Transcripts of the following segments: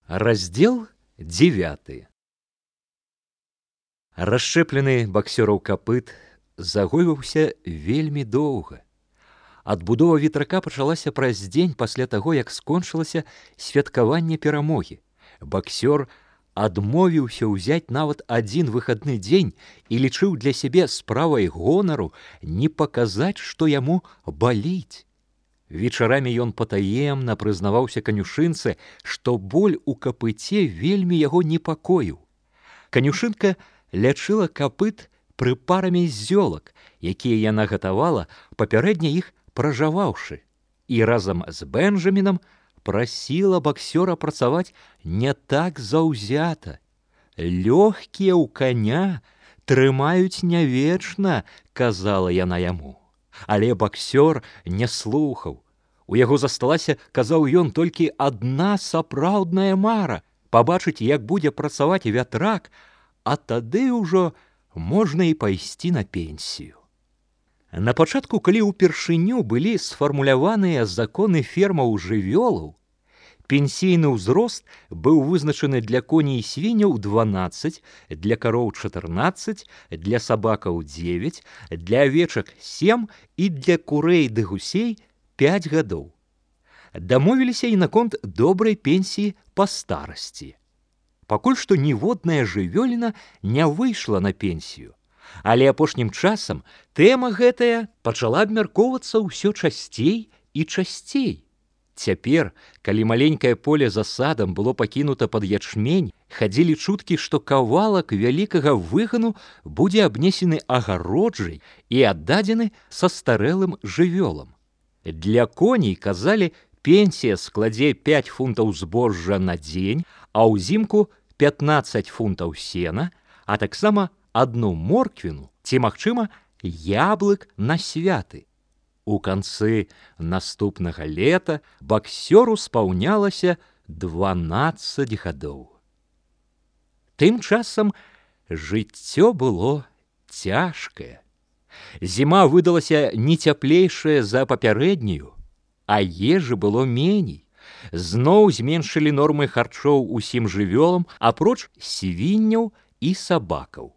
Раздел 9. Расшчэплены баксёраў капыт загойваўся вельмі доўга. Адбудова ветрака пачалася праз дзень пасля таго, як скончылася святкаванне перамогі. Баксёр адмовіўся ўзяць нават адзін выхадны дзень і лічыў для сябе справай гонару не паказаць, што яму баліць. Вечарамі ён патаемна прызнаваўся канюшынцы, што боль у капыце вельмі яго непакоіў. Канюшынка лячыла капыт прыпарамі зёлак, якія яна гатавала, папярэдне іх пражаваўшы, і разам з Бэнджамінам прасіла баксёра працаваць не так заўзята. «Лёгкія ў каня трымаюць не вечна», – казала яна яму. Але баксёр не слухаў. У яго засталася, казаў ён, толькі адна сапраўдная мара – пабачыць, як будзе працаваць вятрак, а тады ўжо можна і пайсці на пенсію. На пачатку, калі ўпершыню былі сфармуляваныя законы фермаў жывёлаў, пенсійны ўзрост быў вызначаны для коней і свіняў 12, для кароў 14, для сабакаў 9, для авечак 7 і для курэй ды гусей 5 гадоў. Дамовіліся і наконт добрай пенсіі па старасці. Пакуль што ніводная жывёліна не выйшла на пенсію, але апошнім часам тэма гэтая пачала абмяркоўвацца ўсё часцей і часцей. Цяпер, калі маленькае поле за садам было пакінута пад ячмень, хадзілі чуткі, што кавалак вялікага выгану будзе абнесены агароджай і аддадзены састарэлым жывёлам. Для коней, казалі, пенсія складзе 5 фунтаў збожжа на дзень, а ўзімку 15 фунтаў сена, а таксама 1 морквіну ці, магчыма, яблык на святы. У канцы наступнага лета баксёру спаўнялася 12 гадоў. Тым часам жыццё было цяжкае. Зіма выдалася не цяплейшая за папярэднюю, а ежы было меней. Зноў зменшылі нормы харчоў усім жывёлам, апроч свінняў і сабакаў.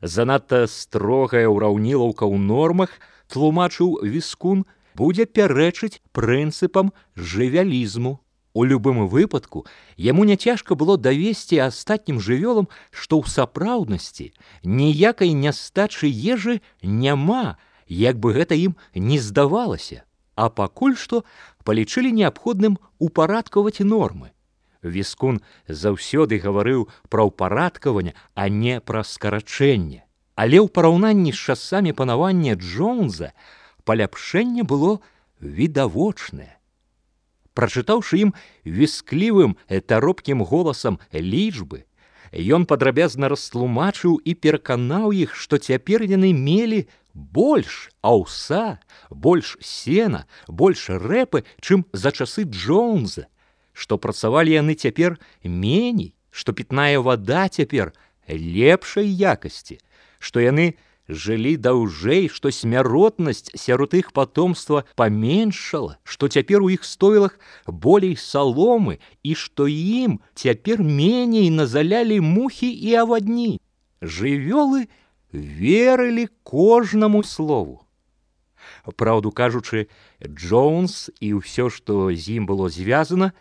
Занадта строгая ўраўнілаўка ў нормах, тлумачыў Віскун, будзе пярэчыць прынцыпам жывялізму. У любым выпадку яму няцяжка было давесці астатнім жывёлам, што ў сапраўднасці ніякай нястачы ежы няма, як бы гэта ім не здавалася, а пакуль што палічылі неабходным упарадкаваць нормы. Віскун заўсёды гаварыў пра ўпарадкаванне, а не пра скарачэнне. Але ў параўнанні з часамі панавання Джонса паляпшэнне было відавочнае. Прачытаўшы ім вісклівым таропкім голасам лічбы, ён падрабязна растлумачыў і пераканаў іх, што цяпер яны мелі больш аўса, больш сена, больш рэпы, чым за часы Джонса, што працавалі яны цяпер меней, што пітная вада цяпер лепшай якасці, што яны жылі даўжэй, што смяротнасць сярод іх патомства паменшала, што цяпер у іх стойлах болей саломы і што ім цяпер меней назалялі мухі і авадні. Жывёлы верылі кожнаму слову. Праўду кажучы, Джонс і ўсё, што з ім было звязана,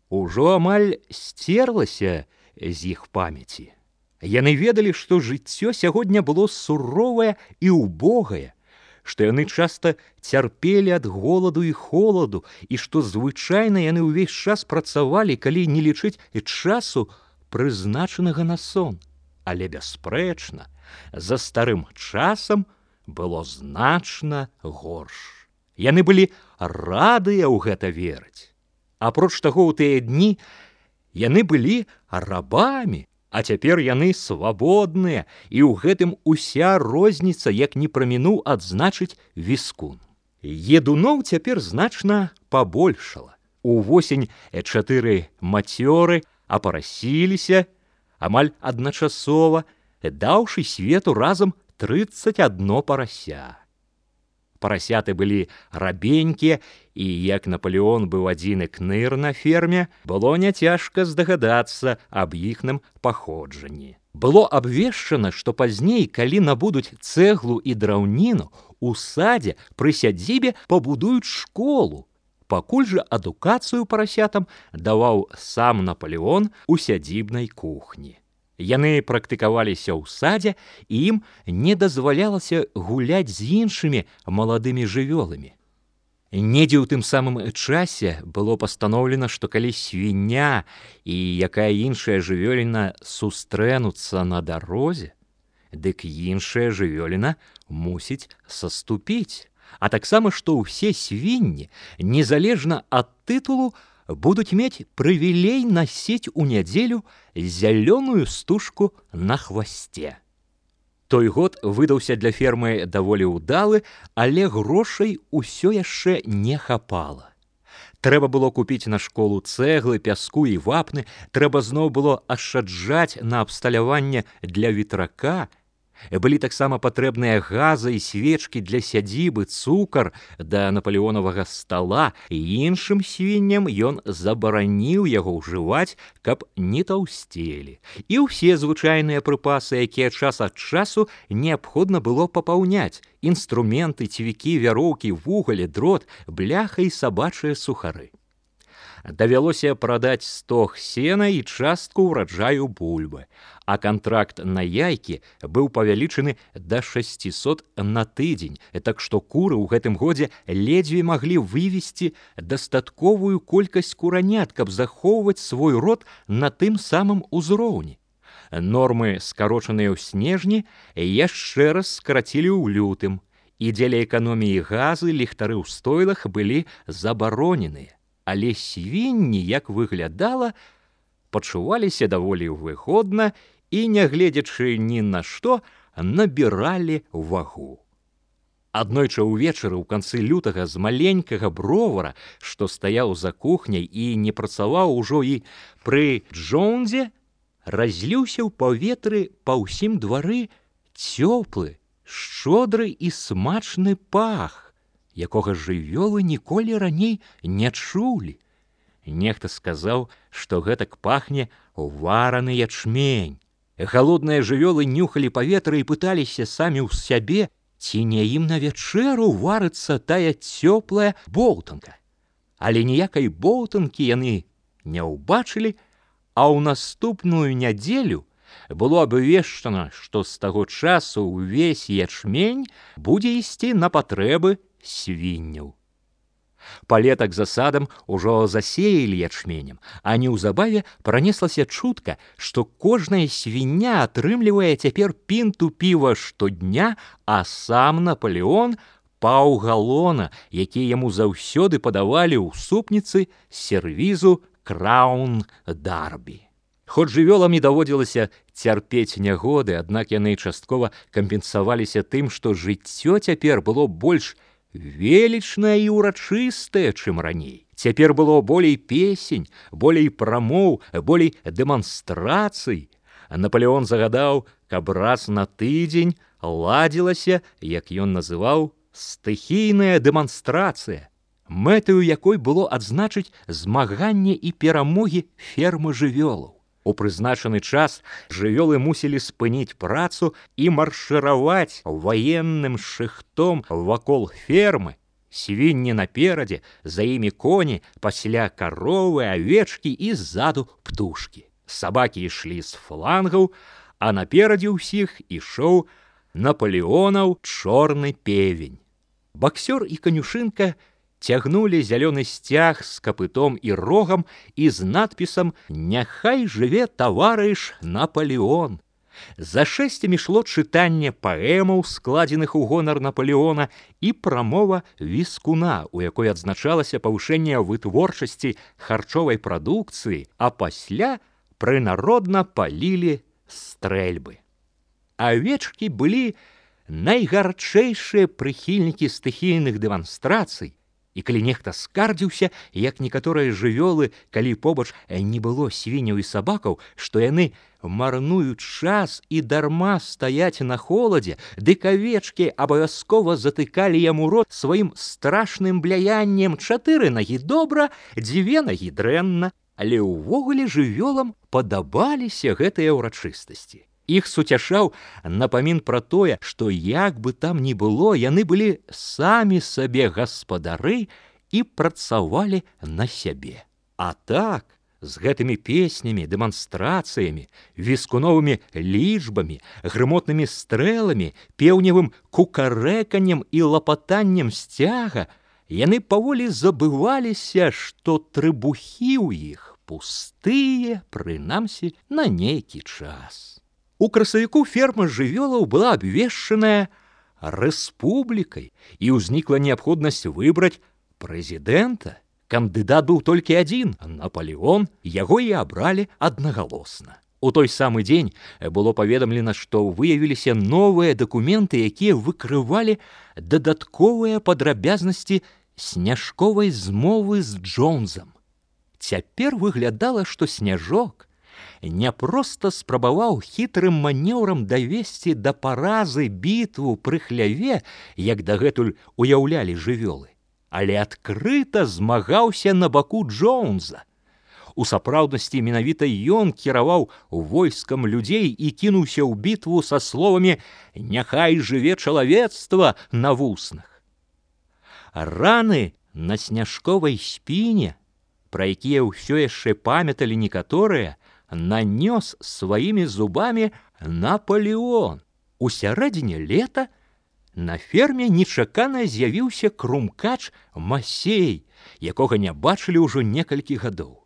ужо амаль сцерлася з іх памяці. Яны ведалі, што жыццё сягоння было суровае і ўбогае, што яны часта цярпелі ад голаду і холаду, і што звычайна яны ўвесь час працавалі, калі не лічыць часу, прызначанага на сон. Але, бясспрэчна, за старым часам было значна горш. Яны былі радыя ў гэта верыць. Апроч таго, у тыя дні яны былі рабамі, а цяпер яны свабодныя, і ў гэтым уся розніца, як не прамінуў адзначыць Віскун. Едуноў цяпер значна пабольшала. Увосень 4 мацёры апарасіліся амаль адначасова, даўшы свету разам 31 парася. Парасяты былі рабенькія, і як Наполеон быў адзіны кныр на ферме, было няцяжка здагадацца аб іхным паходжанні. Было абвешчана, што пазней, калі набудуць цэглу і драўніну, у садзе пры сядзібе пабудуюць школу. Пакуль жа адукацыю парасятам даваў сам Наполеон у сядзібнай кухні. Яны практыкаваліся ў садзе, і ім не дазвалялася гуляць з іншымі маладымі жывёламі. Недзе ў тым самым часе было пастаноўлена, што калі свіння і якая іншая жывёліна сустрэнуцца на дарозе, дык іншая жывёліна мусіць саступіць, а таксама, што ўсе свінні, незалежна ад тытулу, будуць мець прывілей насіць у нядзелю зялёную стужку на хвасце. Той год выдаўся для фермы даволі ўдалы, але грошай усё яшчэ не хапала. Трэба было купіць на школу цэглы, пяску і вапны, трэба зноў было ашчаджаць на абсталяванне для ветрака. Былі таксама патрэбныя газы і свечкі для сядзібы, цукар да напалеонавага стала, і іншым свінням ён забараніў яго ўжываць, каб не таўсцелі. І ўсе звычайныя прыпасы, якія час ад часу неабходна было папаўняць: інструменты, цвікі, вяроўкі, вугаль, дрот, бляха і сабачыя сухары. Давялося прадаць стог сена і частку ўраджаю бульбы, а кантракт на яйкі быў павялічаны да 600 на тыдзень, так што куры ў гэтым годзе ледзьве маглі вывесці дастатковую колькасць куранят, каб захоўваць свой род на тым самым узроўні. Нормы, скарочаныя ў снежні, яшчэ раз скарацілі ў лютым, і дзеля эканоміі газы ліхтары ў стойлах былі забароненыя. Але свінні, як выглядала, пачуваліся даволі выгодна і, нягледзячы ні на што, набіралі вагу. Аднойчы ўвечары ў канцы лютага з маленькага бровара, што стаяў за кухняй і не працаваў ужо і пры Джонзе, разліўся ў паветры па ўсім двары цёплы, шчодры і смачны пах, якога жывёлы ніколі раней не чулі. Нехта сказаў, што гэтак пахне вараны ячмень. Галодныя жывёлы нюхалі паветра і пыталіся самі ў сябе, ці не ім на вячэру варыцца тая цёплая боўтанка. Але ніякай боўтанкі яны не ўбачылі, а ў наступную нядзелю было абвешчана, што з таго часу ўвесь ячмень будзе ісці на патрэбы свінняў. Палетак за садам ужо засеялі ячменем, а неўзабаве пранеслася чутка, што кожная свіння атрымлівае цяпер пінту піва штодня, а сам Наполеон паўгалона, які яму заўсёды падавалі ў супніцы сервізу Краун Дарбі. Хоць жывёлам не даводзілася цярпець нягоды, аднак яны часткова кампенсаваліся тым, што жыццё цяпер было больш велічнае і ўрачыстае, чым раней. Цяпер было болей песень, болей прамоў, болей дэманстрацый. Наполеон загадаў, каб раз на тыдзень ладзілася, як ён называў, стыхійная дэманстрацыя, мэтаю якой было адзначыць змаганне і перамогі фермы жывёлаў. У прызначаны час жывёлы мусілі спыніць працу і маршыраваць ваенным шыхтом вакол фермы. Свінні наперадзе, за імі коні, пасля каровы, авечкі і ззаду птушкі. Сабакі ішлі з флангаў, а наперадзе ўсіх ішоў Наполеонаў чорны певень. Баксёр і канюшынка цягнулі зялёны сцяг з капытом і рогам і з надпісам «Няхай жыве таварыш Наполеон». За шэсцямі шло чытанне паэмаў, складзеных у гонар Наполеона, і прамова віскуна, у якой адзначалася павышэнне вытворчасці харчовай прадукцыі, а пасля прынародна палілі стрэльбы. Авечкі былі найгарчэйшыя прыхільнікі стыхійных дэманстрацый, І калі нехта скардзіўся, як некаторыя жывёлы, калі побач не было свіняў і сабакаў, што яны марнуюць час і дарма стаяць на холадзе, дык авечкі абавязкова затыкалі яму рот сваім страшным бляяннем: 4 нагі добра, 2 нагі дрэнна. Але ўвогуле жывёлам падабаліся гэтыя ўрачыстасці. Іх суцяшаў напамін пра тое, што як бы там ні было, яны былі самі сабе гаспадары і працавалі на сябе. А так, з гэтымі песнямі, дэманстрацыямі, віскуновымі лічбамі, грымотнымі стрэламі, пеўневым кукарэканнем і лапатаннем сцяга, яны паволі забываліся, што трыбухі ў іх пустыя, прынамсі, на нейкі час. У красавіку ферма жывёлаў была абвешчаная рэспублікай, і ўзнікла неабходнасць выбраць прэзідэнта. Кандыдат быў толькі адзін — Напалеон, яго і абралі аднагалосна. У той самы дзень было паведамлена, што выявіліся новыя дакументы, якія выкрывалі дадатковыя падрабязнасці сняжковай змовы з Джонсам. Цяпер выглядала, што Сняжок не проста спрабаваў хітрым манеўрам давесці да паразы бітву пры хляве, як дагэтуль уяўлялі жывёлы, але адкрыта змагаўся на баку Джонса. У сапраўднасці менавіта ён кіраваў войскам людзей і кінуўся ў бітву са словамі «Няхай жыве чалавецтва» на вуснах. Раны на сняжковай спіне, пра якія ўсё яшчэ памяталі некаторыя, нанёс сваімі зубамі Напалеон. У сярэдзіне лета на ферме нечакана з'явіўся крумкач Масей, якога не бачылі ўжо некалькі гадоў.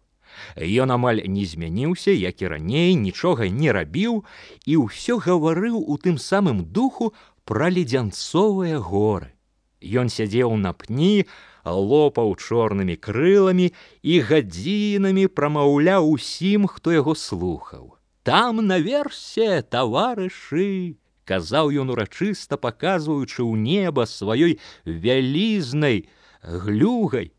Ён амаль не змяніўся, як і раней, нічога не рабіў і ўсё гаварыў у тым самым духу пра ледзянцовыя горы. Ён сядзеў на пні, лопаў чорнымі крыламі і гадзінамі прамаўляў усім, хто яго слухаў. «Там наверсе, таварышы!» — казаў ён урачыста, паказваючы ў неба сваёй вялізнай глюгай.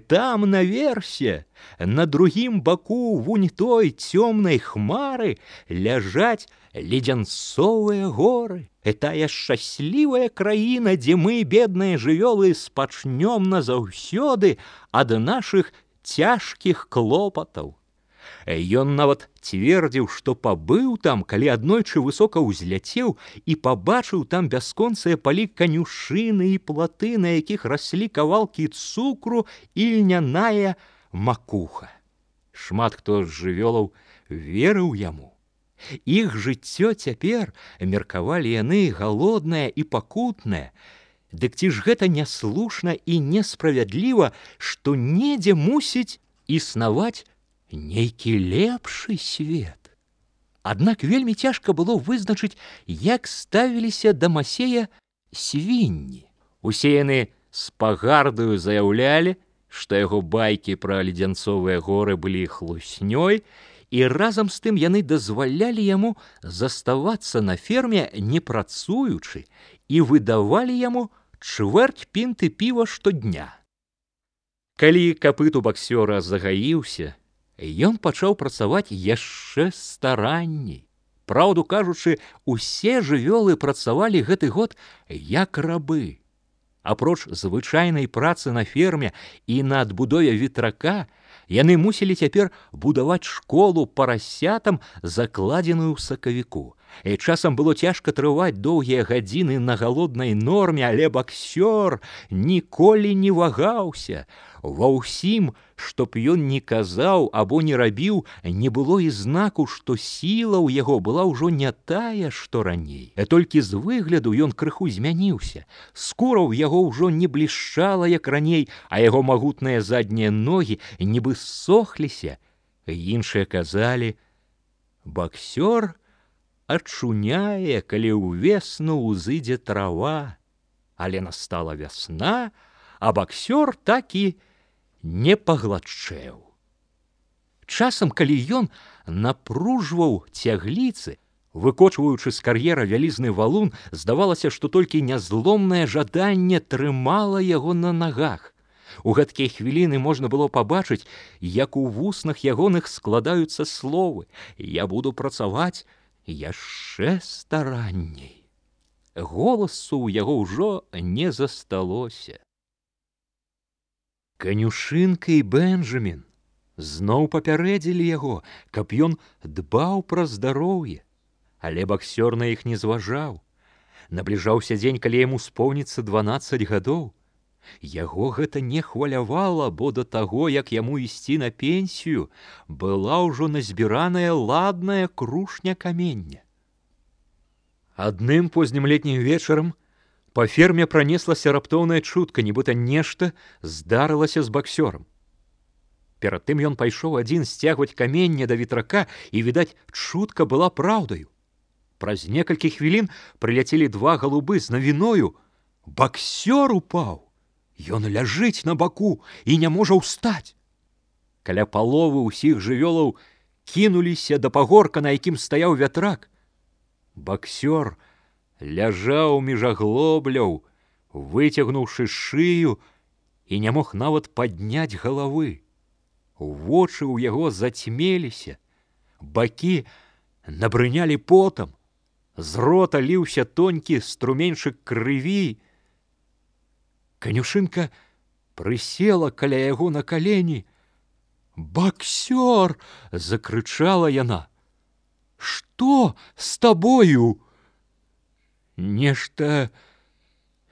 «Там наверсе, на другім баку вунь той цёмнай хмары ляжаць ледзянцовыя горы. Тая шчаслівая краіна, дзе мы, бедныя жывёлы, спачнём назаўсёды ад нашых цяжкіх клопатаў». Ён нават цвердзіў, што пабыў там, калі аднойчы высока ўзляцеў і пабачыў там бясконцыя палі канюшыны і платы, на якіх раслі кавалкі цукру і льняная макуха. Шмат хто з жывёлаў верыў яму. Іх жыццё цяпер, меркавалі яны, галоднае і пакутнае. Дык ці ж гэта няслушна і несправядліва, што недзе мусіць існаваць нейкі лепшы свет? Аднак вельмі цяжка было вызначыць, як ставіліся да Масея свінні. Усе яны з пагардаю заяўлялі, што яго байкі пра ледзянцовыя горы былі хлуснёй, і разам з тым яны дазвалялі яму заставацца на ферме не працуючы і выдавалі яму чвэрць пінты піва штодня. Калі капыт у баксёра загаіўся, ён пачаў працаваць яшчэ старанней. Праўду кажучы, усе жывёлы працавалі гэты год як рабы. Апроч звычайнай працы на ферме і на адбудове ветрака, яны мусілі цяпер будаваць школу парасятам, закладзеную ў сакавіку. І часам было цяжка трываць доўгія гадзіны на галоднай норме, але баксёр ніколі не вагаўся. Ва ўсім, што б ён не казаў або не рабіў, не было і знаку, што сіла ў яго была ўжо не тая, што раней. Толькі з выгляду ён крыху змяніўся. Скура ў яго ўжо не блішчала, як раней, а яго магутныя заднія ногі нібы ссохліся. Іншыя казалі: «Баксёр ачуняе, калі ўвесну ўзыдзе трава». Але настала вясна, а баксёр так і не пагладчэў. Часам, калі ён напружваў цягліцы, выкочваючы з кар'ера вялізны валун, здавалася, што толькі нязломнае жаданне трымала яго на нагах. У гэткія хвіліны можна было пабачыць, як у вуснах ягоных складаюцца словы: «Я буду працаваць яшчэ старанней». Голасу ў яго ўжо не засталося. Канюшынка і Бенджамін зноў папярэдзілі яго, каб ён дбаў пра здароўе, але баксёр на іх не зважаў. Набліжаўся дзень, калі яму споўніцца 12 гадоў. Яго гэта не хвалявала, бо да таго, як яму ісці на пенсію, была ўжо назбіраная ладная крушня камення. Адным познім летнім вечарам па ферме пранеслася раптоўная чутка, нібыта нешта здарылася з баксёрам. Перад тым ён пайшоў адзін сцягваць каменне да ветрака, і, відаць, чутка была праўдаю. Праз некалькі хвілін прыляцелі 2 галубы з навіною. Баксёр упаў. Ён ляжыць на баку і не можа ўстаць. Каля паловы ўсіх жывёлаў кінуліся да пагорка, на якім стаяў вятрак. Баксёр ляжаў між аглобляў, выцягнуўшы шыю, і не мог нават падняць галавы. Вочы ў яго зацьмеліся, бакі набрынялі потам, з рота ліўся тонкі струменьчык крыві. Канюшынка прысела каля яго на калені. «Баксёр!» – закрычала яна. «Што з табою?» «Нешта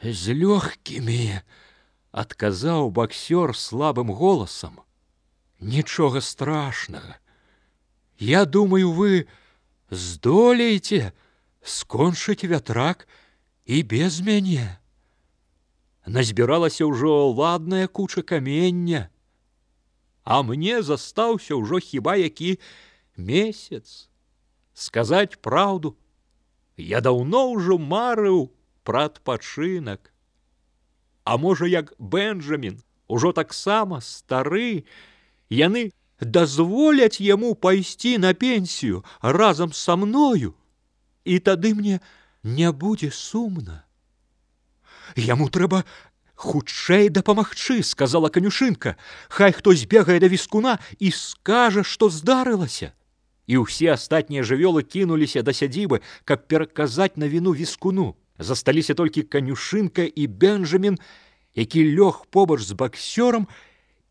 з лёгкімі», – адказаў баксёр слабым голасам. «Нічога страшнага. Я думаю, вы здолееце скончыць вятрак і без мяне. Назбіралася ўжо ладная куча камення, а мне застаўся ўжо хіба які месяц. Сказаць праўду, я даўно ўжо марыў пра адпачынак. А можа, як Бенджамін, ужо таксама стары, яны дазволяць яму пайсці на пенсію разам са мною, і тады мне не будзе сумна». «Яму трэба хутчэй дапамагчы», – сказала канюшынка. «Хай хто збегае да віскуна і скажа, што здарылася». І ўсе астатнія жывёлы кінуліся да сядзібы, каб пераказаць навіну віскуну. Засталіся толькі канюшынка і Бенджамін, які лёг побач з баксёрам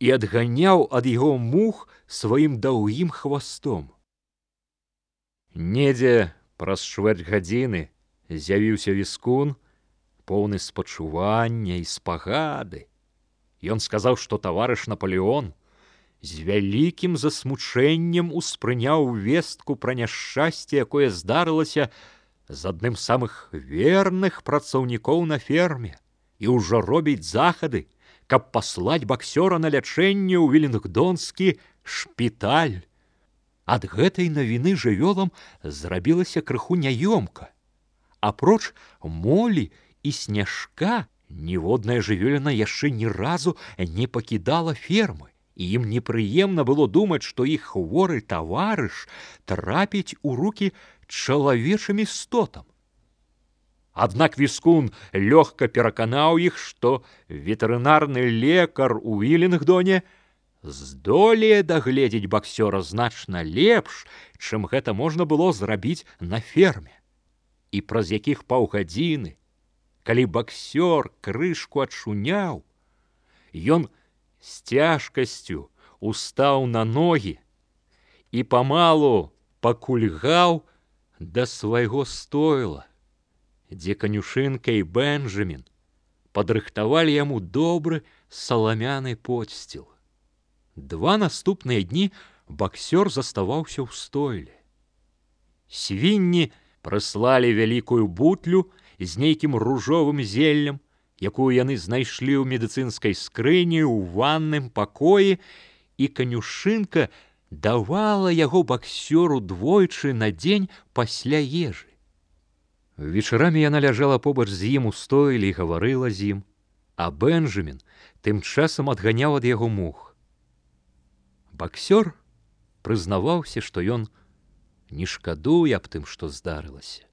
і адганяў ад яго мух сваім даўгім хвастом. Недзе праз чвэрць гадзіны з'явіўся віскун, поўны спачування і спагады. Ён сказаў, што таварыш Наполеон з вялікім засмучэннем успрыняў вестку пра няшчасце, якое здарылася з адным з самых верных працаўнікоў на ферме, і ўжо робіць захады, каб паслаць баксёра на лячэнне ў Велінгдонскі шпіталь. Ад гэтай навіны жывёлам зрабілася крыху няёмка. Апроч Молі і Сняжка, ніводная жывёліна яшчэ ні разу не пакідала фермы, і ім непрыемна было думаць, што іх хворы таварыш трапіць у рукі чалавечым істотам. Аднак віскун лёгка пераканаў іх, што ветэрынарны лекар у Вілінгдоне здолее дагледзець баксёра значна лепш, чым гэта можна было зрабіць на ферме. І праз якіх паўгадзіны, калі баксёр крышку адчуняў, ён з цяжкасцю устаў на ногі і памалу пакульгаў да свайго стойла, дзе канюшынка і Бенджамін падрыхтавалі яму добры саламяны подсціл. 2 наступныя дні баксёр заставаўся ў стойле. Свінні прыслалі вялікую бутлю з нейкім ружовым зеллем, якую яны знайшлі ў медыцынскай скрыні ў ванным пакоі, і канюшынка давала яго баксёру двойчы на дзень пасля ежы. Вечарамі яна ляжала побач з ім у стойле і гаварыла з ім, а Бенджамін тым часам адганяў ад яго мух. Баксёр прызнаваўся, што ён не шкадуе аб тым, што здарылася.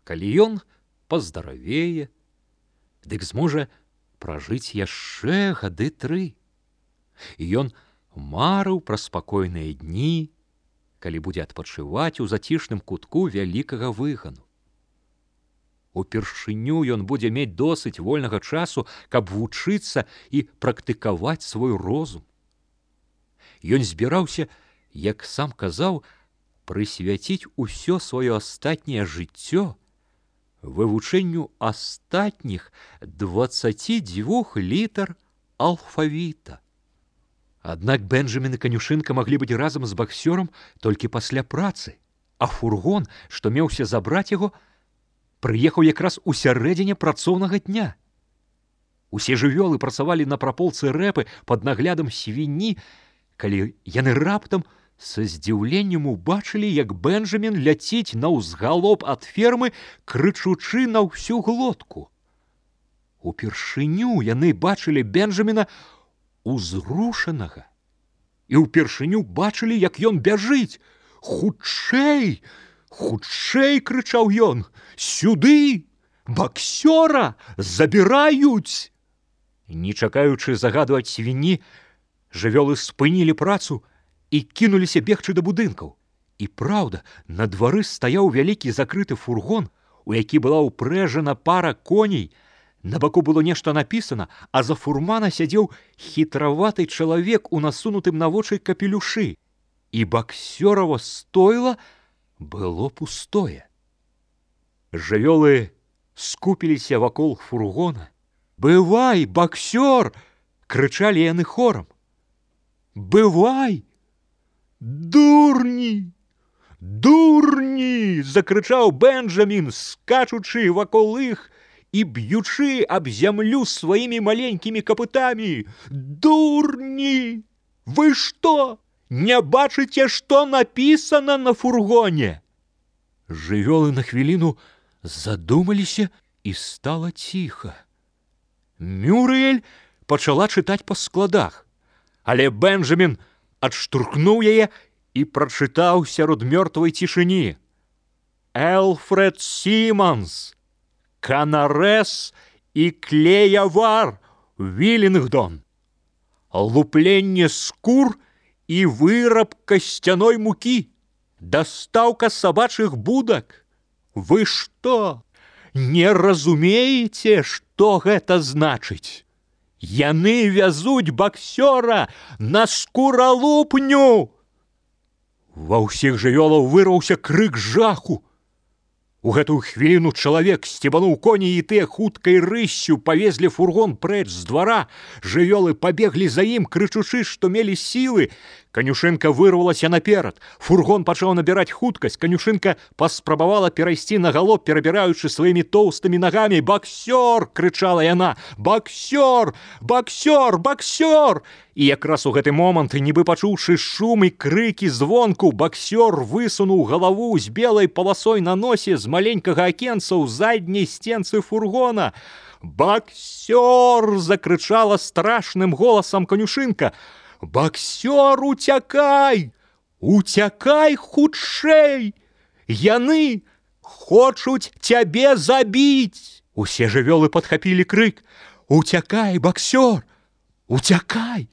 Калі ён паздаравее, дык зможа пражыць яшчэ гады 3. І ён марыў пра спакойныя дні, калі будзе адпачываць у зацішным кутку вялікага выгану. Упершыню ён будзе мець досыць вольнага часу, каб вучыцца і практыкаваць свой розум. Ён збіраўся, як сам казаў, прысвяціць усё сваё астатняе жыццё вывучэнню астатніх 22 літар алфавіта. Аднак Бенджамін і канюшынка маглі быць разам з баксёрам толькі пасля працы, а фургон, што меўся забраць яго, прыехаў якраз у сярэдзіне працоўнага дня. Усе жывёлы працавалі на праполцы рэпы пад наглядам свінні, калі яны раптам са здзіўленнем убачылі, як Бенджамін ляціць наўзгалоп ад фермы, крычучы на ўсю глотку. Упершыню яны бачылі Бенджаміна узрушанага і ўпершыню бачылі, як ён бяжыць. «Хутчэй! Хутчэй!» — крычаў ён. «Сюды! Баксёра забіраюць!» Не чакаючы загаду ад свінні, жывёлы спынілі працу і кінуліся бегчы да будынкаў. І праўда, на двары стаяў вялікі закрыты фургон, у які была ўпрэжана пара коней. На баку было нешта напісана, а за фурмана сядзеў хітраваты чалавек у насунутым на вочы капелюшы. І баксёрава стойла было пустое. Жывёлы скупіліся вакол фургона. «Бывай, баксёр!» — крычалі яны хорам. «Бывай! Дурні! Дурні!» — закрычаў Бенджамін, скачучы вакол іх і б'ючы аб зямлю сваімі маленькімі капытамі. «Дурні! Вы што, не бачыце, што напісана на фургоне?» Жывёлы на хвіліну задумаліся, і стала ціха. Мюрыэль пачала чытаць па складах, але Бенджамін адштурхнуў яе і прачытаў сярод мёртвай цішыні: «Элфред Сіманс, Канарэс і Клеявар, Вілінгдон. Лупленне скур і выраб касцяной мукі, дастаўка сабачых будак. Вы што, не разумееце, што гэта значыць? Яны вязуць баксёра на скуралупню!» Ва ўсіх жывёлаў вырваўся крык жаху. У гэтую хвіліну чалавек сцебануў коней, і тыя хуткай рыссю павезлі фургон прэч з двара. Жывёлы пабеглі за ім, крычучы, што мелі сілы. Канюшынка вырвалася наперад. Фургон пачаў набіраць хуткасць. Канюшынка паспрабавала перайсці на галоп, перабіраючы сваімі тоўстымі нагамі. «Баксёр!» — крычала яна. «Баксёр! Баксёр! Баксёр!» І якраз у гэты момант, нібы пачуўшы шум і крыкі звонку, баксёр высунуў галаву з белай паласой на носе з маленькага акенца ў задняй стенцы фургона. «Баксёр!» — закрычала страшным голасам канюшынка. «Баксёр, уцякай! Уцякай хутчэй! Яны хочуць цябе забіць!» Усе жывёлы падхапілі крык: «Уцякай, баксёр! Уцякай!»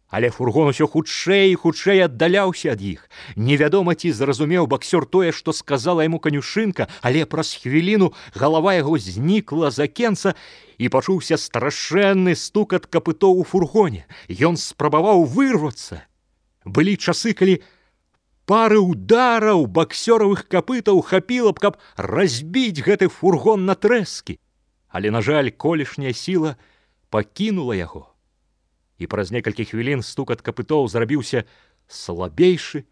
Але фургон усё хутчэй і хутчэй аддаляўся ад іх. Невядома, ці зразумеў баксёр тое, што сказала яму канюшынка, але праз хвіліну галава яго знікла з акенца, і пачуўся страшэнны стукат капытоў у фургоне. Ён спрабаваў вырвацца. Былі часы, калі пары удараў баксёравых капытаў хапіла б, каб разбіць гэты фургон на трэскі. Але, на жаль, колішняя сіла пакінула яго. І праз некалькі хвілін стукат капытоў зрабіўся слабейшы,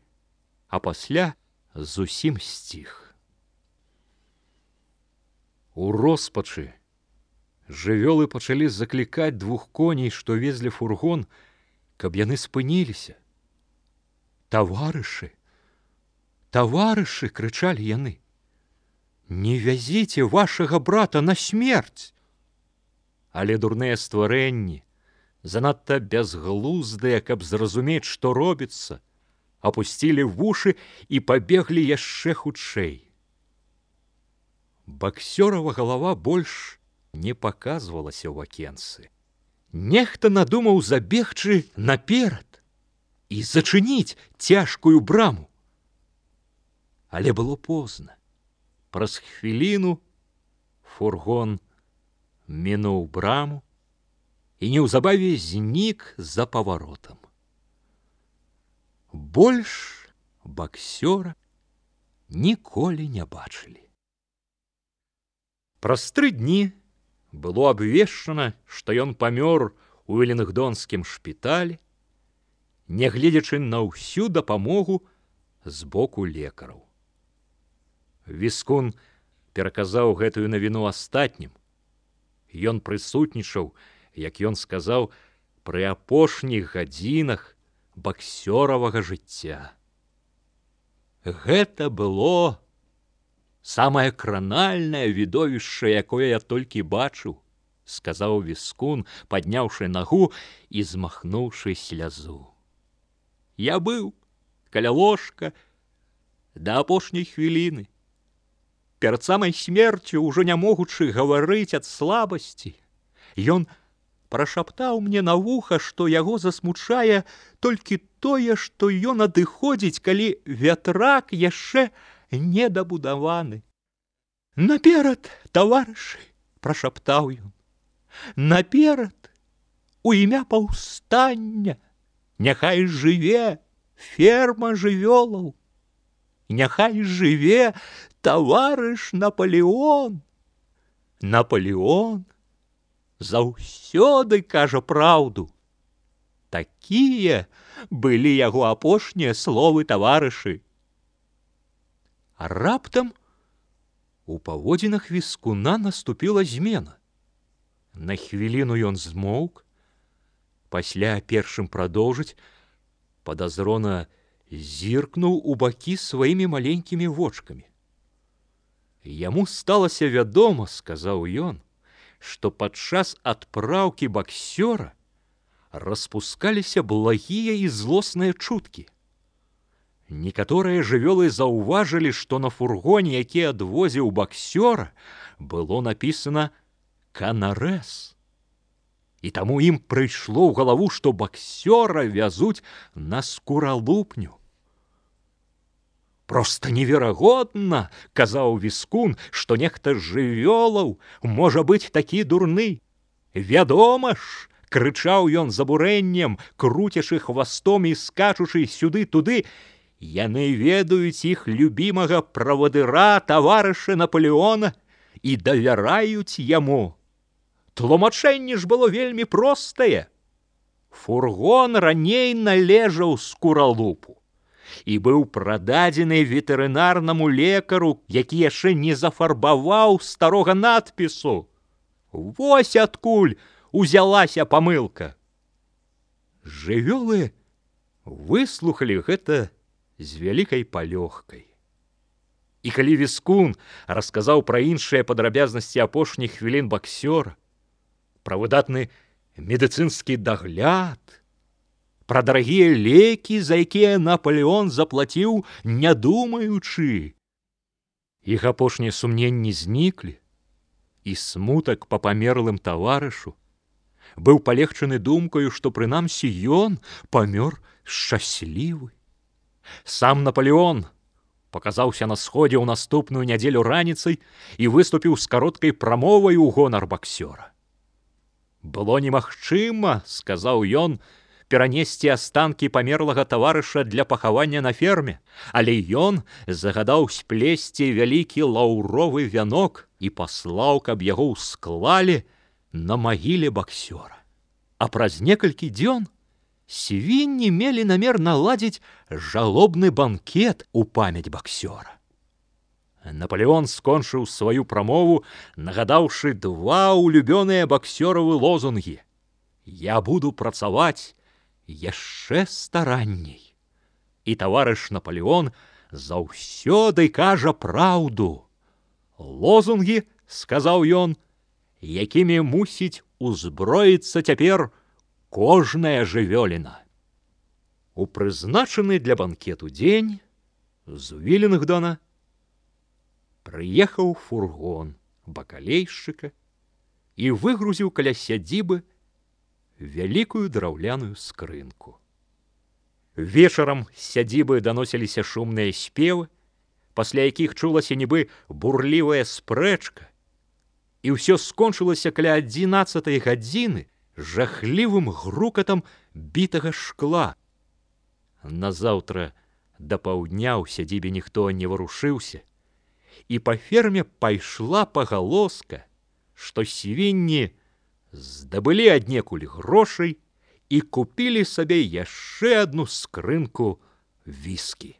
а пасля зусім сціх. У роспачы жывёлы пачалі заклікаць двух коней, што везлі фургон, каб яны спыніліся. «Таварышы! Таварышы!» — крычалі яны. «Не вязіце вашага брата на смерць!» Але дурныя стварэнні, занадта бязглуздыя, каб зразумець, што робіцца, апусцілі вушы і пабеглі яшчэ хутчэй. Баксёрава галава больш не паказвалася ў акенцы. Нехта надумаў забегчы наперад і зачыніць цяжкую браму. Але было позна. Праз хвіліну фургон мінуў браму і неўзабаве знік за паваротам. Больш баксёра ніколі не бачылі. Праз 3 дні было абвешчана, што ён памёр у велінгдонскім шпіталі, нягледзячы на ўсю дапамогу з боку лекараў. Віскун пераказаў гэтую навіну астатнім. Ён прысутнічаў, як ён сказаў, пры апошніх гадзінах баксёравага жыцця. Гэта было самае кранальнае відовішча, якое я толькі бачыў, сказаў Віскун, падняўшы нагу і змахнуўшы слязу. Я быў каля ложка да апошняй хвіліны. Перад самай смерцю, ужо не могучы гаварыць ад слабасці, ён прашаптаў мне на вуха, што яго засмучае толькі тое, што ён адыходзіць, калі вятрак яшчэ не дабудаваны. Наперад, таварышы, прашаптаў ён, наперад, у імя паўстання, няхай жыве ферма жывёлаў, няхай жыве таварыш Наполеон. Наполеон заўсёды кажа праўду. Такія былі яго апошнія словы, таварышы. А раптам у паводзінах Віскуна наступіла змена. На хвіліну ён змоўк, пасля першым прадоўжыць, падазрона зіркнуў у бакі сваімі маленькімі вочкамі. Яму сталася вядома, сказаў ён, што падчас адпраўкі баксёра распускаліся благія і злосныя чуткі. Некаторыя жывёлы заўважылі, што на фургоне, які адвозіў баксёра, было напісана «Канарэс». І таму ім прыйшло ў галаву, што баксёра вязуць на скуралупню. Проста неверагодна, казаў Віскун, што нехта з жывёлаў можа быць такі дурны. Вядома ж, крычаў ён з абурэннем, круцячы хвастом і скачучы сюды-туды, яны ведаюць іх любімага правадыра, таварыша Наполеона, і давяраюць яму. Тлумачэнне ж было вельмі простае. Фургон раней належаў скуралупу і быў прададзены ветэрынарнаму лекару, які яшчэ не зафарбаваў старога надпісу. Вось адкуль узялася памылка. Жывёлы выслухалі гэта з вялікай палёгкай. І калі Віскун расказаў пра іншыя падрабязнасці апошніх хвілін баксёра, пра выдатны медыцынскі дагляд, пра дарагія лекі, за якія Наполеон заплаціў, не думаючы, іх апошнія сумненні зніклі, і смутак па памерлым таварышу быў палегчаны думкаю, што прынамсі ён памёр шчаслівы. Сам Наполеон паказаўся на сходзе ў наступную нядзелю раніцай і выступіў з кароткай прамовай у гонар баксёра. Было немагчыма, сказаў ён, перанесці астанкі памерлага таварыша для пахавання на ферме, але ён загадаў сплесці вялікі лаўровы вянок і паслаў, каб яго ўсклалі на магіле баксёра. А праз некалькі дзён свінні мелі намер наладзіць жалобны банкет у памяць баксёра. Наполеон скончыў сваю прамову, нагадаўшы 2 улюбёныя баксёравы лозунгі: «Я буду працаваць яшчэ старанней». І таварыш Наполеон заўсёды кажа праўду. Лозунгі, сказаў ён, якімі мусіць узброіцца цяпер кожная жывёліна. У прызначаны для банкету дзень з Вілінгдона прыехаў фургон бакалейшчыка і выгрузіў каля сядзібы вялікую драўляную скрынку. Вечарам з сядзібы даносіліся шумныя спевы, пасля якіх чулася нібы бурлівая спрэчка, і ўсё скончылася каля 11-й гадзіны жахлівым грукатам бітага шкла. Назаўтра да паўдня ў сядзібе ніхто не варушыўся, і па ферме пайшла пагалоска, што свінні здабылі аднекуль грошай і купілі сабе яшчэ адну скрынку віскі.